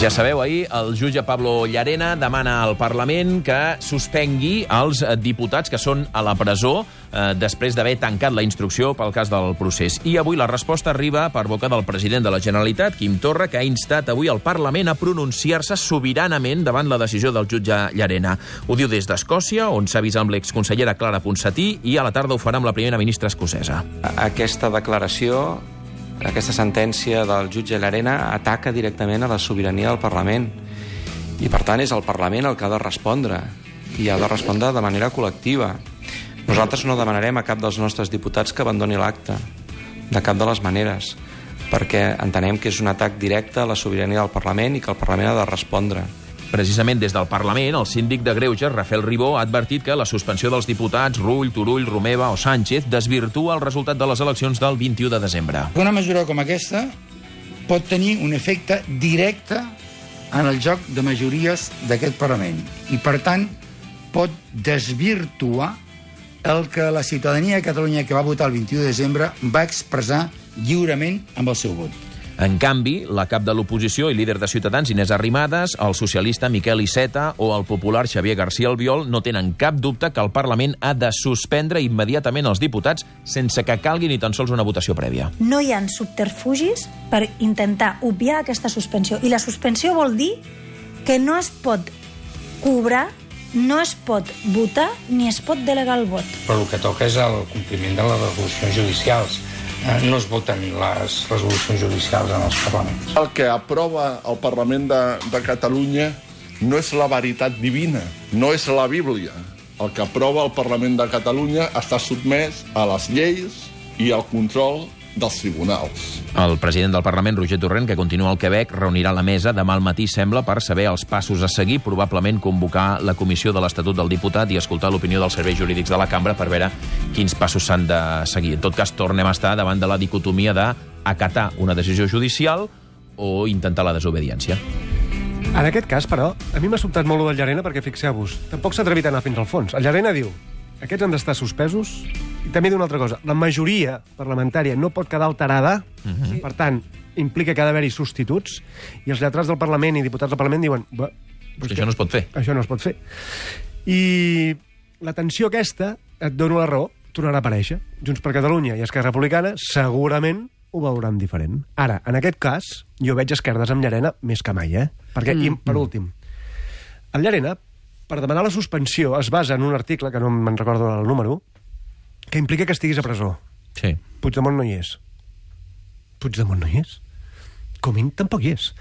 Ja sabeu, ahir el jutge Pablo Llarena demana al Parlament que suspengui els diputats que són a la presó després d'haver tancat la instrucció pel cas del procés. I avui la resposta arriba per boca del president de la Generalitat, Quim Torra, que ha instat avui al Parlament a pronunciar-se sobiranament davant la decisió del jutge Llarena. Ho diu des d'Escòcia, on s'ha vist amb l'exconsellera Clara Ponsatí, i a la tarda ho farà amb la primera ministra escocesa. Aquesta declaració, aquesta sentència del jutge Llarena ataca directament a la sobirania del Parlament. I, per tant, és el Parlament el que ha de respondre. I ha de respondre de manera col·lectiva. Nosaltres no demanarem a cap dels nostres diputats que abandoni l'acte, de cap de les maneres, perquè entenem que és un atac directe a la sobirania del Parlament i que el Parlament ha de respondre. Precisament des del Parlament, el síndic de Greuges, Rafael Ribó, ha advertit que la suspensió dels diputats Rull, Turull, Romeva o Sánchez desvirtua el resultat de les eleccions del 21 de desembre. Una mesura com aquesta pot tenir un efecte directe en el joc de majories d'aquest Parlament i, per tant, pot desvirtuar el que la ciutadania de Catalunya que va votar el 21 de desembre va expressar lliurement amb el seu vot. En canvi, la cap de l'oposició i líder de Ciutadans, Inés Arrimadas, el socialista Miquel Iceta o el popular Xavier García Albiol no tenen cap dubte que el Parlament ha de suspendre immediatament els diputats sense que calgui ni tan sols una votació prèvia. No hi ha subterfugis per intentar obviar aquesta suspensió. I la suspensió vol dir que no es pot cobrar, no es pot votar ni es pot delegar el vot. Però el que toca és el compliment de les resolucions judicials. No es voten les resolucions judicials en els parlaments. El que aprova el Parlament de Catalunya no és la veritat divina, no és la Bíblia. El que aprova el Parlament de Catalunya està sotmès a les lleis i al control dels tribunals. El president del Parlament, Roger Torrent, que continua al Quebec, reunirà la mesa demà al matí, sembla, per saber els passos a seguir, probablement convocar la comissió de l'Estatut del Diputat i escoltar l'opinió dels serveis jurídics de la cambra per veure quins passos s'han de seguir. En tot cas, tornem a estar davant de la dicotomia d'acatar una decisió judicial o intentar la desobediència. En aquest cas, però, a mi m'ha sobtat molt el del Llarena perquè, fixeu-vos, tampoc s'ha atrevit a anar fins al fons. El Llarena diu, aquests han d'estar suspesos, i també diu una altra cosa, la majoria parlamentària no pot quedar alterada, per tant, implica que ha d'haver-hi substituts, i els lletrats del Parlament i diputats del Parlament diuen... Això no es pot fer. Això no es pot fer. I la tensió aquesta, et dono la raó, tornarà a aparèixer. Junts per Catalunya i Esquerra Republicana segurament ho veuran diferent. Ara, en aquest cas, jo veig esquerdes amb Llarena més que mai, Perquè, i per últim, el Llarena, per demanar la suspensió, es basa en un article, que no me'n recordo el número, que implica que estiguis a presó. Sí. Puigdemont no hi és. Puigdemont no hi és. Comín tampoc hi és.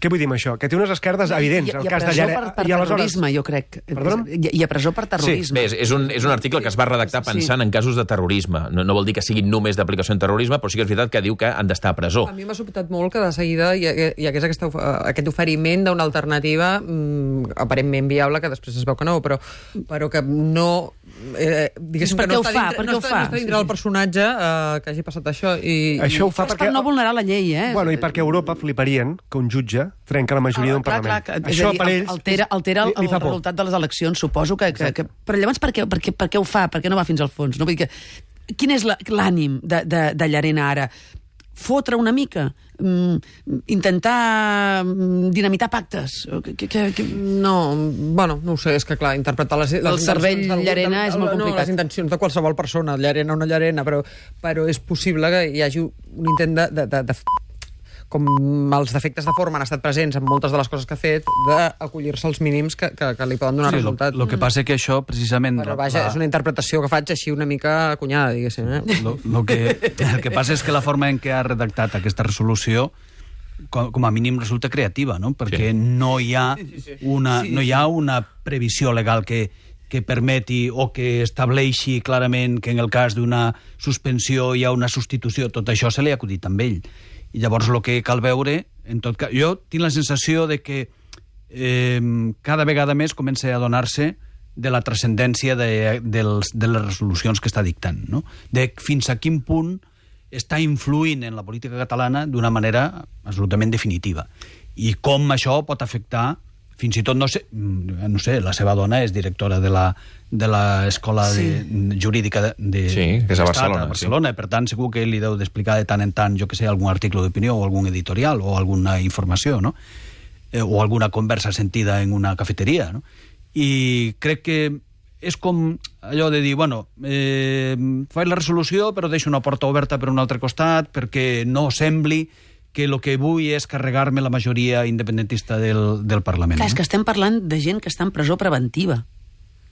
Què vull dir amb això? Que té unes esquerdes evidents. I a presó per terrorisme, jo crec. I a presó per terrorisme. Sí, bé, és un article que es va redactar pensant en casos de terrorisme. No vol dir que siguin només d'aplicació en terrorisme, però sí que és veritat que diu que han d'estar a presó. A mi m'ha sobtat molt que de seguida hi hagués aquest oferiment d'una alternativa aparentment viable, que després es veu que no, però que no... diguéssim que no està dintre del personatge que hagi passat això. Això ho fa per no vulnerar la llei, Bueno, i perquè a Europa fliparien que un jutge trenca la majoria d'un Parlament. Això per ells altera el resultat de les eleccions, suposo que... Però llavors per què ho fa? Per què no va fins al fons? No? Vull dir que, quin és l'ànim de Llarena ara? Fotre una mica? Intentar dinamitar pactes? No, bueno, no ho sé, és que clar, interpretar les el cervell Llarena és molt complicat. Les intencions de qualsevol persona, Llarena o no Llarena, però és possible que hi hagi un intent de com els defectes de forma han estat presents en moltes de les coses que ha fet, d'acollir-se als mínims que li poden donar resultat. El que passa que això, precisament... Però vaja, és una interpretació que faig així una mica acunyada, diguéssim. El que passa és que la forma en què ha redactat aquesta resolució com a mínim resulta creativa, no? Perquè no hi ha una previsió legal que permeti o que estableixi clarament que en el cas d'una suspensió hi ha una substitució. Tot això se li ha acudit amb ell. I llavors el que cal veure, en tot cas, jo tinc la sensació de que cada vegada més comença a adonar-se de la transcendència de les resolucions que està dictant, no? De fins a quin punt està influint en la política catalana d'una manera absolutament definitiva. I com això pot afectar, fins i tot, no sé, la seva dona és directora de l'escola jurídica que és a Barcelona, i per tant segur que ell li deu d'explicar de tant en tant, jo que sé, algun article d'opinió o algun editorial o alguna informació, no? o alguna conversa sentida en una cafeteria, no? I crec que és com allò de dir, bueno, faig la resolució però deixo una porta oberta per un altre costat perquè no sembli que el que vull és carregar-me la majoria independentista del Parlament. Clar, és que estem parlant de gent que està en presó preventiva.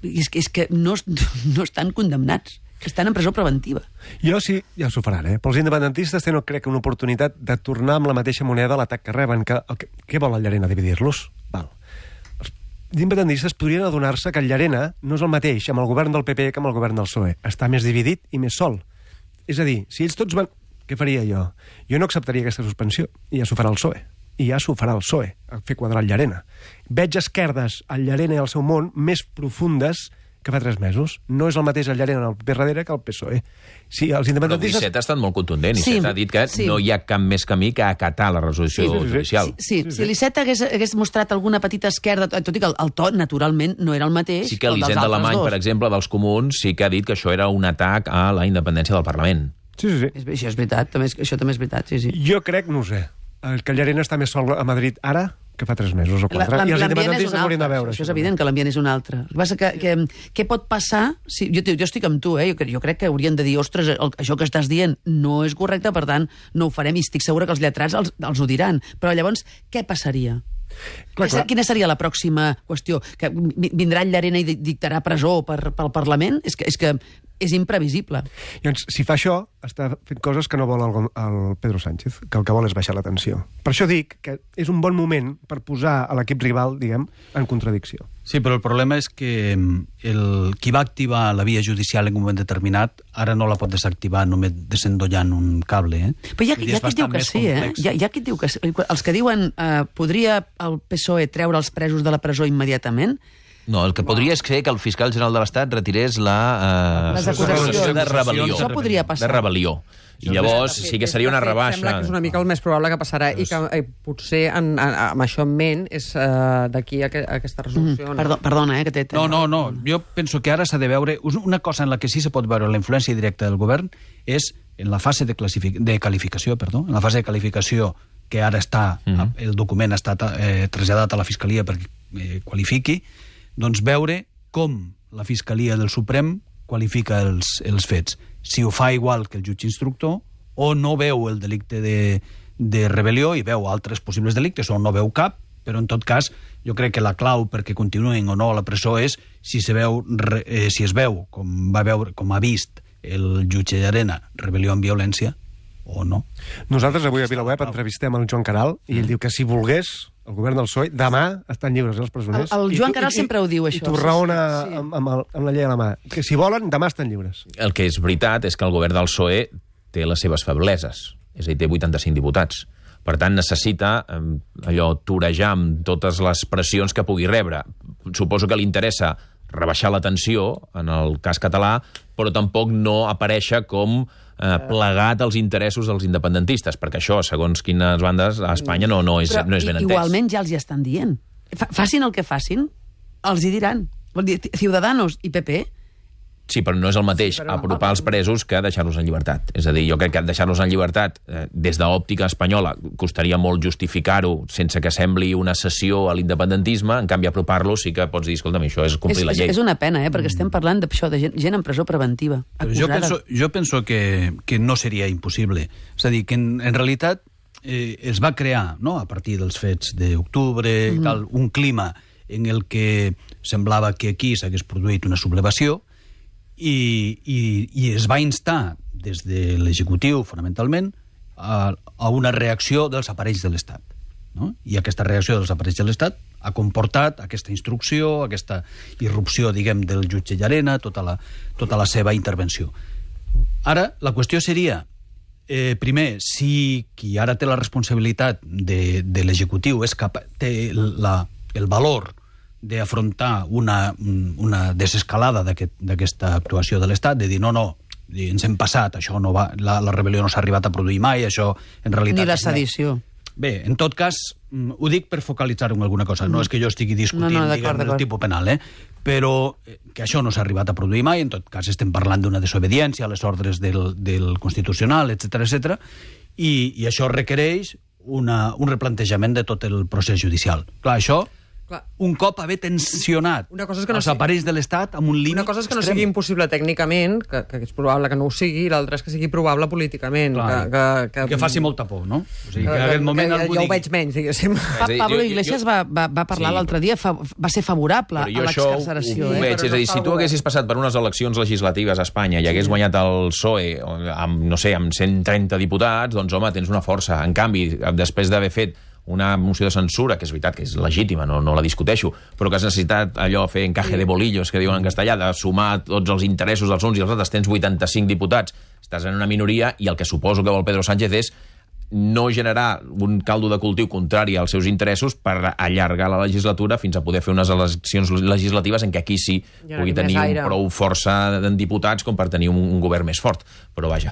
És que no estan condemnats, que estan en presó preventiva. Jo sí, ja s'ho faran, Però els independentistes tenen, crec, una oportunitat de tornar amb la mateixa moneda a l'atac que reben. Què vol el Llarena? Dividir-los? Val. Els independentistes podrien adonar-se que el Llarena no és el mateix amb el govern del PP que amb el govern del PSOE. Està més dividit i més sol. És a dir, si ells tots van... Què faria jo? Jo no acceptaria aquesta suspensió, i ja s'ho farà el PSOE. I ja s'ho farà el PSOE, a fer quadrar el Llarena. Veig esquerdes al Llarena i al seu món més profundes que fa 3 mesos. No és el mateix el Llarena en el PP darrere que el PSOE. Sí, els independentistes... Però Iceta ha estat molt contundent. Iceta ha dit que no hi ha cap més camí que acatar la resolució judicial. Sí. Si l'Iceta hagués mostrat alguna petita esquerda, tot i que el to, naturalment, no era el mateix. Sí que l'Hisenda Alemany, per exemple, dels comuns, sí que ha dit que això era un atac a la independència del Parlament. Sí. Això és veritat, això també és veritat, sí. Jo crec, no ho sé, que el Llarena està més sol a Madrid ara que fa 3 mesos o 4. I els independentistes haurien de veure. Això és evident, que l'ambient és un altre. El que passa que què pot passar? Jo estic amb tu, jo crec que haurien de dir, ostres, això que estàs dient no és correcte, per tant, no ho farem, i estic segura que els lletrats els ho diran. Però llavors, què passaria? Quina seria la pròxima qüestió? Que vindrà el Llarena i dictarà presó pel Parlament? És que és imprevisible. Llavors, si fa això, està fent coses que no vol el Pedro Sánchez, que el que vol és baixar la tensió. Per això dic que és un bon moment per posar a l'equip rival, diguem, en contradicció. Sí, però el problema és que qui va activar la via judicial en un moment determinat ara no la pot desactivar només desendollant un cable. Però hi ha qui et diu que sí, Hi ha qui et diu que sí. Els que diuen podria el PSOE treure els presos de la presó immediatament. No, el que podria ser que el fiscal general de l'Estat retirés les acusacions de rebel·lió. Això podria passar. De rebel·lió. I llavors sí que seria una rebaixa. Sembla que és una mica el més probable que passarà i que potser amb això en ment és d'aquí aquesta resolució. Perdona, que té... No. Jo penso que ara s'ha de veure... Una cosa en la que sí se pot veure la influència directa del govern és en la fase de qualificació, en la fase de qualificació que ara està, el document ha estat traslladat a la Fiscalia perquè qualifiqui, doncs veure com la Fiscalia del Suprem qualifica els fets. Si ho fa igual que el jutge instructor, o no veu el delicte de rebel·lió i veu altres possibles delictes, o no veu cap, però en tot cas jo crec que la clau perquè continuïn o no a la presó és si es veu, com ha vist el jutge Llarena, rebel·lió amb violència, o no. Nosaltres avui a VilaWeb entrevistem el Joan Caral i ell diu que si volgués el govern del PSOE, demà estan lliures els presoners. El Joan Caral sempre ho diu, això. I t'ho raona amb la llei a la mà. Que si volen, demà estan lliures. El que és veritat és que el govern del PSOE té les seves febleses. És a dir, té 85 diputats. Per tant, necessita torejar amb totes les pressions que pugui rebre. Suposo que li interessa rebaixar la tensió, en el cas català, però tampoc no aparèixer com plegat als interessos dels independentistes, perquè això, segons quines bandes, a Espanya no és ben entès. Igualment ja els hi estan dient. Facin el que facin, els hi diran. Vol dir, Ciudadanos i PP... Sí, però no és el mateix apropar els presos que deixar-los en llibertat. És a dir, jo crec que deixar-los en llibertat des d'òptica espanyola costaria molt justificar-ho sense que sembli una cessió a l'independentisme, en canvi apropar-los sí que pots dir, escolta'm, això és complir la llei. És una pena, perquè estem parlant d'això, de gent en presó preventiva. Jo penso que no seria impossible. És a dir, que en realitat es va crear, a partir dels fets d'octubre i tal, un clima en el que semblava que aquí s'hagués produït una sublevació i es va instar des de l'executiu, fonamentalment, a una reacció dels aparells de l'Estat. No? I aquesta reacció dels aparells de l'Estat ha comportat aquesta instrucció, aquesta irrupció, diguem, del jutge Llarena, tota la seva intervenció. Ara, la qüestió seria, primer, si qui ara té la responsabilitat de l'executiu té el valor d'afrontar una desescalada d'aquesta actuació de l'Estat, de dir no, ens hem passat, això no va, la rebel·lió no s'ha arribat a produir mai, això en realitat... Ni la sedició. Bé, en tot cas, ho dic per focalitzar-ho en alguna cosa, no és que jo estigui discutint el tipus penal, però que això no s'ha arribat a produir mai, en tot cas estem parlant d'una desobediència a les ordres del Constitucional, etc, i això requereix un replantejament de tot el procés judicial. Clar, això, un cop haver tensionat els aparells de l'Estat amb un límit Una cosa és que no sigui impossible tècnicament, que és probable que no ho sigui, i l'altra és que sigui probable políticament. Que faci molta por, no? O sigui, que en aquest moment jo ho veig menys, diguéssim. Pablo Iglesias va parlar l'altre dia, va ser favorable a l'excarceració. Ho veig, és a dir, si tu haguessis passat per unes eleccions legislatives a Espanya i hagués guanyat el PSOE amb, no sé, amb 130 diputats, doncs, home, tens una força. En canvi, després d'haver fet una moció de censura, que és veritat que és legítima, no la discuteixo, però que has necessitat allò fer encaje de bolillos, que diuen en castellà, de sumar tots els interessos dels uns i els altres, tens 85 diputats, estàs en una minoria, i el que suposo que vol Pedro Sánchez és no generar un caldo de cultiu contrari als seus interessos per allargar la legislatura fins a poder fer unes eleccions legislatives en què aquí sí pugui tenir prou força de diputats com per tenir un govern més fort. Però vaja,